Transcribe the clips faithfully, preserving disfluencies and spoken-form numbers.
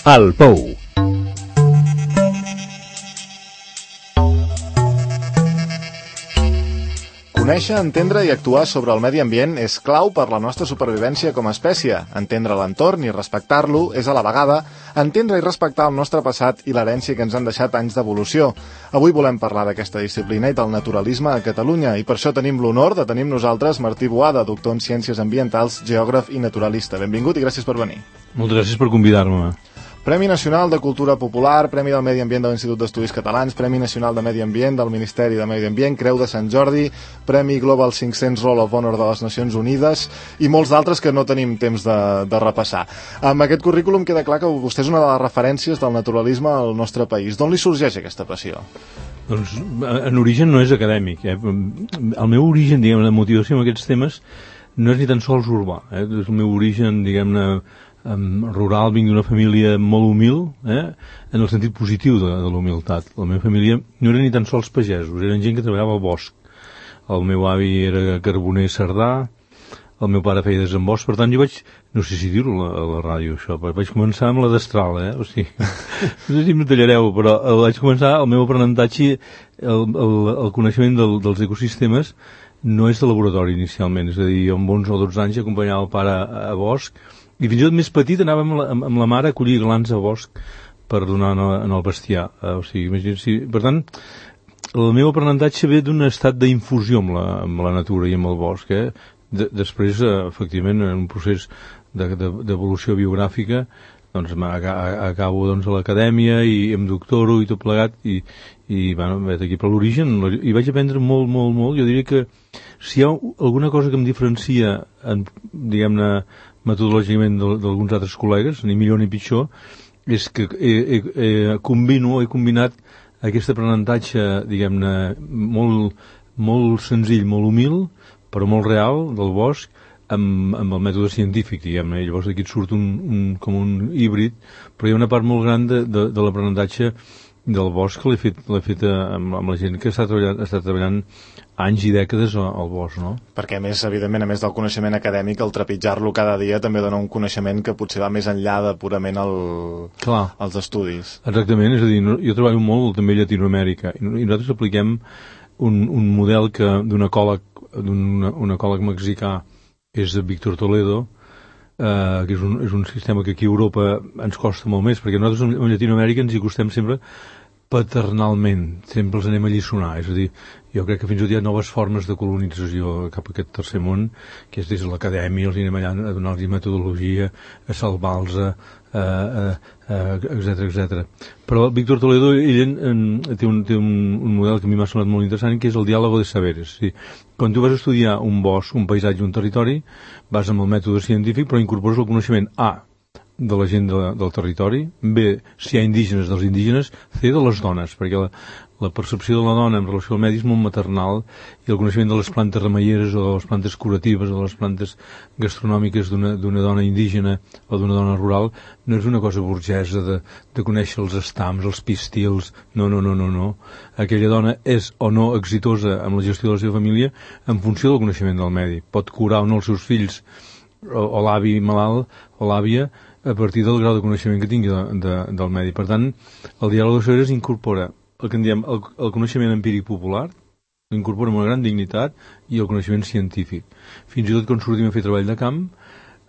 El Pou. Conèixer, entendre i actuar sobre el medi ambient és clau per la nostra supervivència com a espècie. Entendre l'entorn i respectar-lo és a la vegada entendre i respectar el nostre passat i l'herència que ens han deixat anys d'evolució. Avui volem parlar d'aquesta disciplina i del naturalisme a Catalunya i per això tenim l'honor de tenir amb nosaltres Martí Boada, doctor en Ciències Ambientals, geògraf i naturalista. Benvingut i gràcies per venir. Moltes gràcies per convidar-me. Premi Nacional de Cultura Popular, Premi del Medi Ambient de l'Institut d'Estudis Catalans, Premi Nacional de Medi Ambient del Ministeri de Medi Ambient, Creu de Sant Jordi, Premi Global cinc-cents Roll of Honor de les Nacions Unides i molts d'altres que no tenim temps de, de repassar. Amb aquest currículum queda clar que vostè és una de les referències del naturalisme al nostre país. D'on li sorgeix aquesta passió? Doncs en origen no és acadèmic. Eh? El meu origen, diguem, de motivació amb aquests temes no és ni tan sols urbà. Eh? És el meu origen, diguem-ne, Um, rural, vinc d'una família molt humil, eh? En el sentit positiu de, de la humilitat. La meva família no eren ni tan sols pagesos, eren gent que treballava al bosc. El meu avi era carboner sardà, el meu pare feia desembost, per tant jo vaig, no sé si dir-ho a, a la ràdio això, però vaig començar amb la destral, eh? O sigui, no sé si m'ho tallareu, però vaig començar el meu aprenentatge, el, el, el coneixement del, dels ecosistemes no és de laboratori inicialment, és a dir, jo amb onze o dotze anys acompanyava el pare a, a bosc, i fins i tot més petit anàvem amb la, amb la mare a collir glans a bosc per donar en el, en el bestiar. Eh, o sigui, imagina't, si, per tant, el meu aprenentatge ve d'un estat d'infusió amb, la, amb la natura i amb el bosc. Eh? De, després, eh, efectivament, en un procés d'evolució de, de, biogràfica, doncs acabo doncs, a l'acadèmia i em doctoro i tot plegat i, i bueno, vaig aquí per l'origen i vaig aprendre molt, molt, molt. Jo diria que si hi ha alguna cosa que em diferencia en, diguem-ne, metodològicament d'alguns altres col·legues, ni millor ni pitjor, és que he, he, he, combino, he combinat aquest aprenentatge, diguem-ne, molt, molt senzill, molt humil, però molt real, del bosc, amb, amb el mètode científic, diguem-ne. Llavors d'aquí et surt un, un, com un híbrid, però hi ha una part molt gran de, de, de l'aprenentatge del bosc que l'he fet, l'he fet amb, amb la gent que està treballant, està treballant anys i dècades al bosc, no? Perquè, a més, evidentment, a més del coneixement acadèmic, el trepitjar-lo cada dia també dona un coneixement que potser va més enllà de purament el, els estudis. Exactament, és a dir, jo treballo molt també a Llatinoamèrica i nosaltres apliquem un, un model que d'un ecòleg, d'un ecòleg mexicà, és Víctor Toledo, eh, que és un, és un sistema que aquí a Europa ens costa molt més, perquè nosaltres en Llatinoamèrica ens hi costem sempre paternalment, sempre els anem a lliçonar, és a dir, jo crec que fins i tot hi ha noves formes de colonització cap a aquest tercer món, que és des de l'acadèmia, els anem allà a donar-los metodologia, a salvar-los, etcètera, etcètera. Però Víctor Toledo, ell en, en, té, un, té un, un model que a mi m'ha sonat molt interessant, que és el diàlogo de saberes. Sí. Quan tu vas a estudiar un bosc, un paisatge, un territori, vas amb el mètode científic, però incorpores el coneixement A, de la gent de, del territori, B, si hi ha indígenes dels indígenes, C, de les dones, perquè la, la percepció de la dona en relació al medi és molt maternal i el coneixement de les plantes remeieres o de les plantes curatives o de les plantes gastronòmiques d'una dona indígena o d'una dona rural no és una cosa burgesa de, de conèixer els estams, els pistils, no, no, no, no, no. Aquella dona és o no exitosa amb la gestió de la seva família en funció del coneixement del medi. Pot curar o no els seus fills o, o l'avi malalt o l'àvia a partir del grau de coneixement que tingui de, de, del medi. Per tant, el diàleg de saberes incorpora el que en diem el, el coneixement empíric popular, incorpora amb una gran dignitat, i el coneixement científic. Fins i tot quan sortim a fer treball de camp,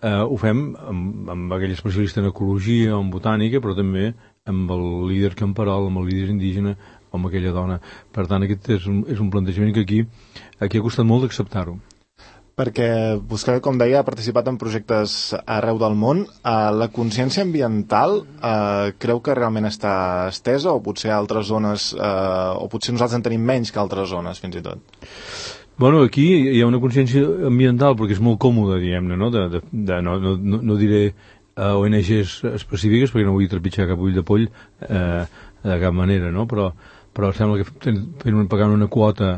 eh, ho fem amb, amb aquell especialista en ecologia o en botànica, però també amb el líder camperol, amb el líder indígena o amb aquella dona. Per tant, aquest és un, és un plantejament que aquí, aquí ha costat molt d'acceptar-ho. Perquè vostè, com deia, ha participat en projectes arreu del món. Uh, la consciència ambiental uh, creu que realment està estesa o potser altres zones, uh, o potser nosaltres en tenim menys que altres zones, fins i tot? Bueno, aquí hi ha una consciència ambiental perquè és molt còmode, diguem-ne, no? De, de, de, no, no, no diré uh, O N Ges específiques perquè no vull trepitjar cap ull de poll uh, de cap manera, no? Però, però sembla que fent, pagant una quota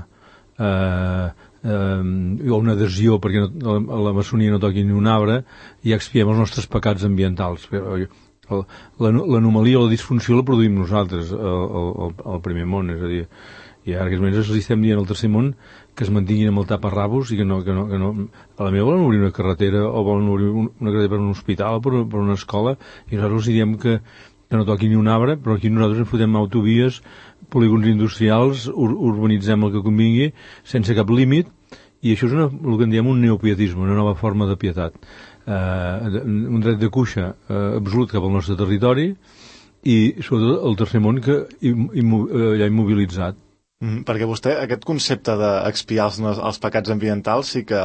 eh, eh, o una adhesió perquè no, a la maçonia no toqui ni un arbre, i expiem els nostres pecats ambientals. L'anomalia o la disfunció la produïm nosaltres al, al, al primer món, és a dir, i ara que els estem dient al tercer món que es mantinguin amb el taparrabos i que no, que no, que no... A la meva volen obrir una carretera o volen obrir una carretera per un hospital o per, per una escola, i nosaltres els diem que, que no toqui ni un arbre, però aquí nosaltres ens fotem autovies, polígons industrials, ur urbanitzem el que convingui, sense cap límit, i això és una, el que en diem un neopietisme, una nova forma de pietat. Eh, un dret de cuixa eh, absolut cap al nostre territori, i sobretot el tercer món que immo ja immobilitzat. Mm, perquè vostè, aquest concepte d'expiar els, els pecats ambientals sí que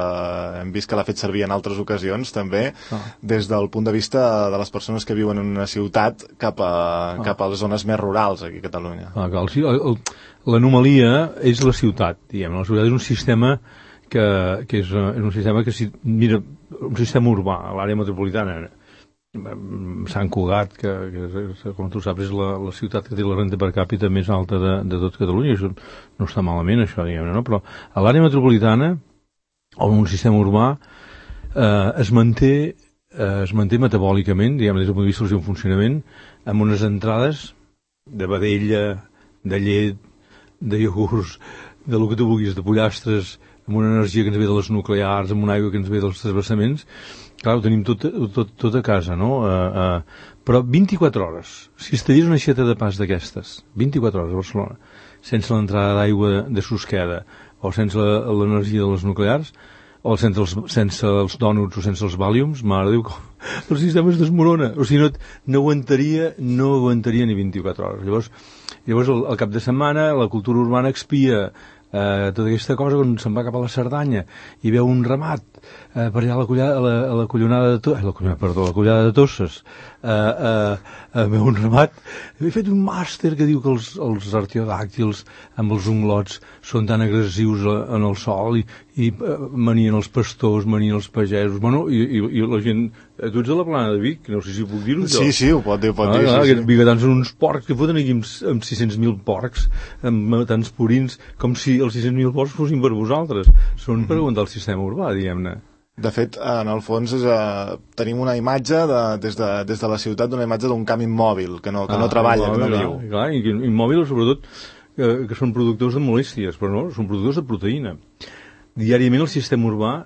hem vist que l'ha fet servir en altres ocasions també, ah. des del punt de vista de les persones que viuen en una ciutat cap a, ah. cap a les zones més rurals aquí a Catalunya. Ah, l'anomalia és la ciutat, diguem. La ciutat és un sistema que, que és, és un sistema que si mira, un sistema urbà a l'àrea metropolitana, Sant Cugat, que, que com tu saps és la, la ciutat que té la renda per càpita més alta de, de tot Catalunya. Això no està malament, això, diguem-ne, no? Però a l'àrea metropolitana, o en un sistema urbà, eh, es manté eh, es manté metabòlicament, diguem, des del punt de vista del seu funcionament, amb unes entrades de vedella, de llet, de iogurts, de lo que tu vulguis, de pollastres, amb una energia que ens ve de les nuclears, amb una aigua que ens ve dels transversaments. Clar, ho tenim tot, tot, tot a casa, no? Uh, uh, però vint-i-quatre hores, si es tallés una aixeta de pas d'aquestes, vint-i-quatre hores a Barcelona, sense l'entrada d'aigua de, de Susqueda, o sense l'energia de les nuclears, o sense els, sense els dònuts o sense els vàliums, mare de Déu, el sistema es desmorona. O sigui, no, no aguantaria, no aguantaria ni vint-i-quatre hores. Llavors, llavors el, el cap de setmana, la cultura urbana expia eh, tota aquesta cosa quan se'n va cap a la Cerdanya i veu un ramat eh, per allà a la, collada, a la, a la collonada de Tosses, la collonada, perdó, la collada de Tosses, eh, eh, eh, veu un ramat. He fet un màster que diu que els, els artiodàctils amb els unglots són tan agressius en el sol i, i eh, manien els pastors, manien els pagesos, bueno, i, i, i la gent... Tu ets de la Plana de Vic, no sé si puc dir-ho. Sí, sí, ho pot dir, ho pot ah, dir. Ah, sí, aquests sí. Bigatans són uns porcs que foten aquí amb, amb sis-cents mil porcs, amb tants purins, com si els sis-cents mil porcs fossin per vosaltres. Són per aguantar el sistema urbà, diguem-ne. De fet, en el fons és, uh, tenim una imatge de, des, de, des de la ciutat, d'una imatge d'un camp immòbil, que no, que ah, no treballa, immòbil, que no viu. Clar, clar, immòbil sobretot que, que són productors de molèsties, però no, són productors de proteïna. Diàriament el sistema urbà,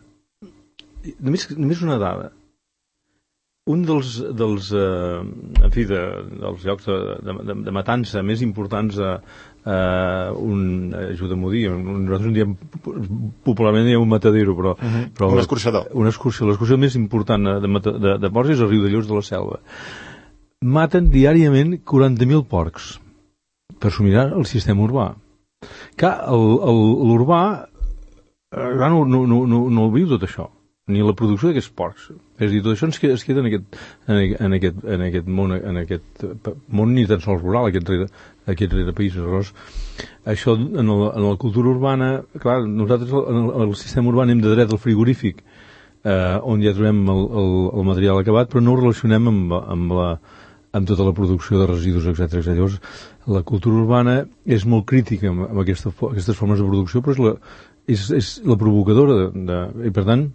només, només una dada, un dels, dels, eh, en fi, de, dels llocs de, de, de matança més importants a, a un, ajuda-m'ho a dir, nosaltres en diem, popularment diem un matadero, però... Uh -huh. però un escorxador. Una excursió. L'excursió més important de, de, de porcs és el Riudellots de la Selva. Maten diàriament quaranta mil porcs per somirar el sistema urbà. Clar, l'urbà no, no, no, no, no el viu tot això, ni la producció d'aquests porcs. És a dir, tot això ens queda, es queda en aquest, en aquest, en aquest món, en aquest món ni tan sols rural, aquest rere, aquest rere països. Llavors, això en, el, en la cultura urbana, clar, nosaltres en el, en el sistema urbà anem de dret al frigorífic, eh, on ja trobem el, el, el material acabat, però no ho relacionem amb, amb, la, amb tota la producció de residus, etcètera. Llavors, la cultura urbana és molt crítica amb, amb aquesta, aquestes formes de producció, però és la, és, és la provocadora de, de, i per tant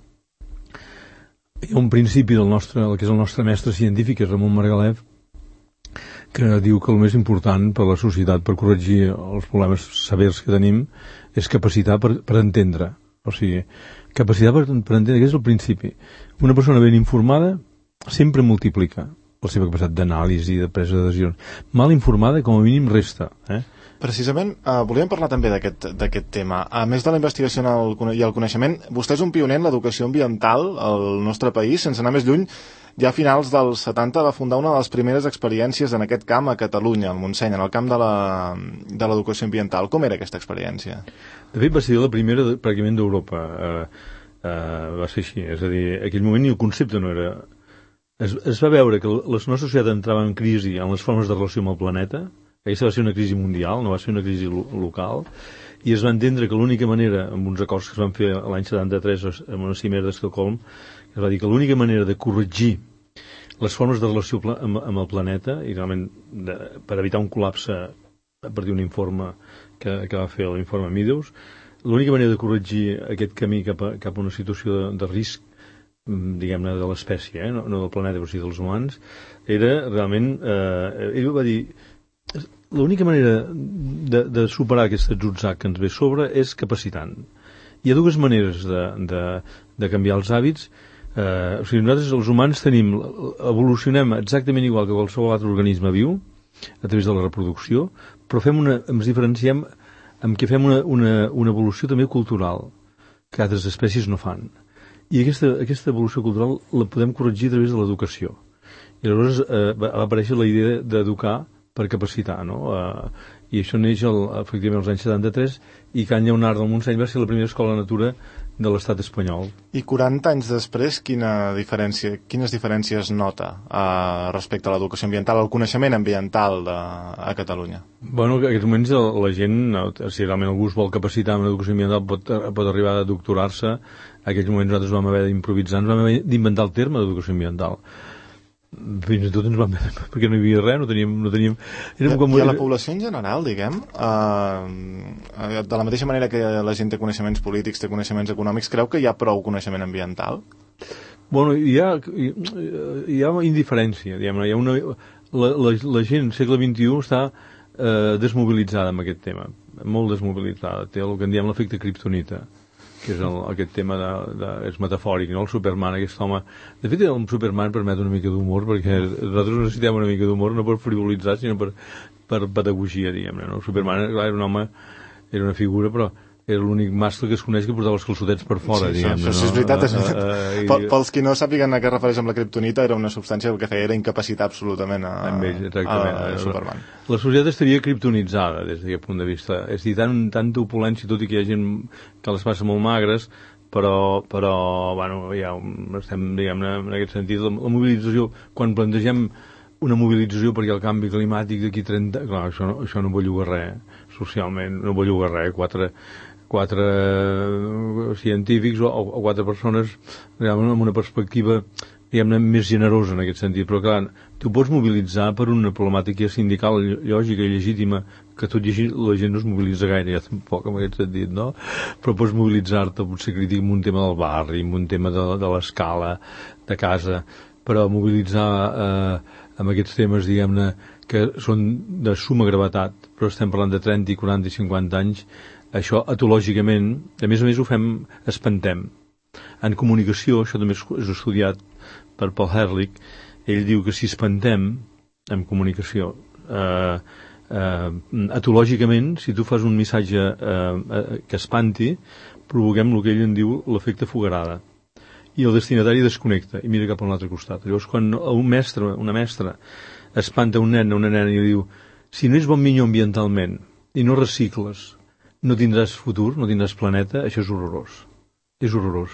hi ha un principi del nostre, el que és el nostre mestre científic, és Ramon Margalef, que diu que el més important per a la societat, per corregir els problemes severs que tenim, és capacitat per, per entendre. O sigui, capacitat per, per entendre, aquest és el principi. Una persona ben informada sempre multiplica la seva capacitat d'anàlisi, de presa de decisions. Mal informada, com a mínim, resta. Eh? Precisament, eh, volíem parlar també d'aquest tema. A més de la investigació el, i el coneixement, vostè és un pioner en l'educació ambiental al nostre país. Sense anar més lluny, ja a finals dels setanta va fundar una de les primeres experiències en aquest camp a Catalunya, al Montseny, en el camp de l'educació ambiental. Com era aquesta experiència? De fet, va ser la primera pràcticament d'Europa. Uh, uh, va ser així. És a dir, en aquell moment ni el concepte no era... Es, es va veure que la nostra societat entrava en crisi en les formes de relació amb el planeta. Aquesta va ser una crisi mundial, no va ser una crisi lo local, i es va entendre que l'única manera, amb uns acords que es van fer l'any setanta-tres amb una cimera d'Estocolm, es va dir que l'única manera de corregir les formes de relació amb, amb el planeta, i realment de, per evitar un col·lapse a partir d'un informe que, que va fer l'informe Meadows, l'única manera de corregir aquest camí cap a, cap a una situació de, de risc, diguem-ne, de l'espècie, eh? no, no del planeta, però sí dels humans, era realment... Eh, ell va dir... L'única manera de, de superar aquest atzutzac que ens ve sobre és capacitant. Hi ha dues maneres de, de, de canviar els hàbits. Eh, o sigui, nosaltres els humans tenim, evolucionem exactament igual que qualsevol altre organisme viu, a través de la reproducció, però fem una, ens diferenciem amb què fem una, una, una evolució també cultural, que altres espècies no fan. I aquesta, aquesta evolució cultural la podem corregir a través de l'educació. I llavors eh, va aparèixer la idea d'educar per capacitar, no? Eh, I això neix, el, efectivament, als anys setanta-tres, i Can Lleonard del Montseny va ser la primera escola de natura de l'estat espanyol. I quaranta anys després, quina diferència, quines diferències nota eh, respecte a l'educació ambiental, al coneixement ambiental de, a Catalunya? Bueno, en aquests moments la, la gent, si realment algú es vol capacitar en l'educació ambiental, pot, pot arribar a doctorar-se. En aquells moments nosaltres vam haver d'improvisar, ens vam haver d'inventar el terme d'educació ambiental. Fins i tot ens vam haver, perquè no hi havia res, no teníem... No teníem I, com... I a la població en general, diguem, eh, de la mateixa manera que la gent té coneixements polítics, té coneixements econòmics, creu que hi ha prou coneixement ambiental? Bueno, hi ha, hi, hi ha indiferència, diguem, hi ha una... La, la, la gent, segle vint-i-u, està eh, desmobilitzada amb aquest tema, molt desmobilitzada, té el que en diem l'efecte kriptonita, que és el, aquest tema de, de, és metafòric, no? El Superman, aquest home... De fet, el Superman permet una mica d'humor, perquè nosaltres necessitem una mica d'humor, no per frivolitzar, sinó per, per pedagogia, diguem-ne, no? El Superman, clar, era un home, era una figura, però era l'únic mascle que es coneix que portava els calçotets per fora, sí, diguem-ne. Això sí, és veritat. No? És... Uh, uh, uh, Pels qui no sàpiguen a què refereix amb la kriptonita, era una substància que el que feia era incapacitar absolutament a, ells, a, a Superman. La societat estaria kriptonitzada des d'aquest punt de vista. És a dir, tant, tanta opulència, tot i que hi ha gent que les passa molt magres, però, però bueno, ja estem, diguem-ne, en aquest sentit, la, la mobilització, quan plantegem una mobilització perquè el canvi climàtic d'aquí trenta... Clar, això no, això no belluga res, socialment, no belluga res, quatre... quatre científics o, o quatre persones realment amb una perspectiva diguem-ne més generosa en aquest sentit, però clar, tu pots mobilitzar per una problemàtica sindical lògica i legítima, que tot i així la gent no es mobilitza gaire, ja tampoc en aquest sentit, no? Però pots mobilitzar-te, potser crític, amb un tema del barri, amb un tema de, de l'escala de casa, però mobilitzar eh, amb aquests temes, diguem-ne, que són de suma gravetat, però estem parlant de trenta, quaranta i cinquanta anys, això etològicament, a més a més ho fem, espantem. En comunicació, això també és estudiat per Paul Ehrlich, ell diu que si espantem en comunicació, eh, eh, etològicament, si tu fas un missatge eh, que espanti, provoquem el que ell en diu l'efecte fogarada. I el destinatari desconnecta i mira cap a un altre costat. Llavors, quan un mestre, una mestra, espanta un nen o una nena i diu si no és bon minyó ambientalment i no recicles, no tindràs futur, no tindràs planeta, això és horrorós. És horrorós.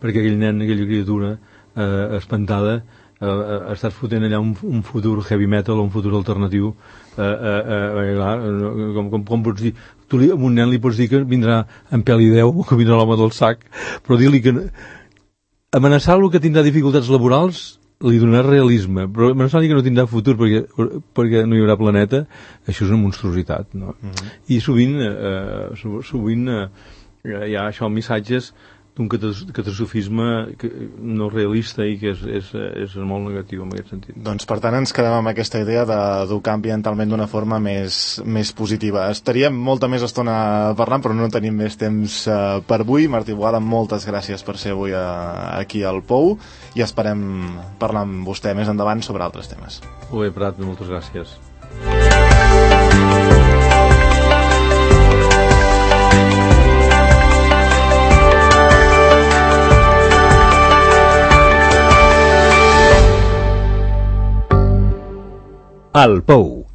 Perquè aquell nen, aquella criatura eh, espantada, eh, estàs fotent allà un, un futur heavy metal o un futur alternatiu. Eh, eh, eh, clar, com, com, com pots dir? Tu li, a un nen li pots dir que vindrà en pèl i deu, o que vindrà l'home del sac, però dir-li que amenaçar-lo que tindrà dificultats laborals li donarà realisme, però amenaçar-li que no tindrà futur perquè, perquè no hi haurà planeta, això és una monstruositat, no? Uh-huh. I sovint, eh, sovint eh, hi ha això, missatges d'un catastrofisme no realista i que és, és, és molt negatiu en aquest sentit. Doncs per tant ens quedem amb aquesta idea d'educar ambientalment d'una forma més, més positiva. Estaríem molta més estona parlant, però no tenim més temps uh, per avui. Martí Boada, moltes gràcies per ser avui uh, aquí al Pou i esperem parlar amb vostè més endavant sobre altres temes. Molt bé, Prat, moltes gràcies. Al Pou.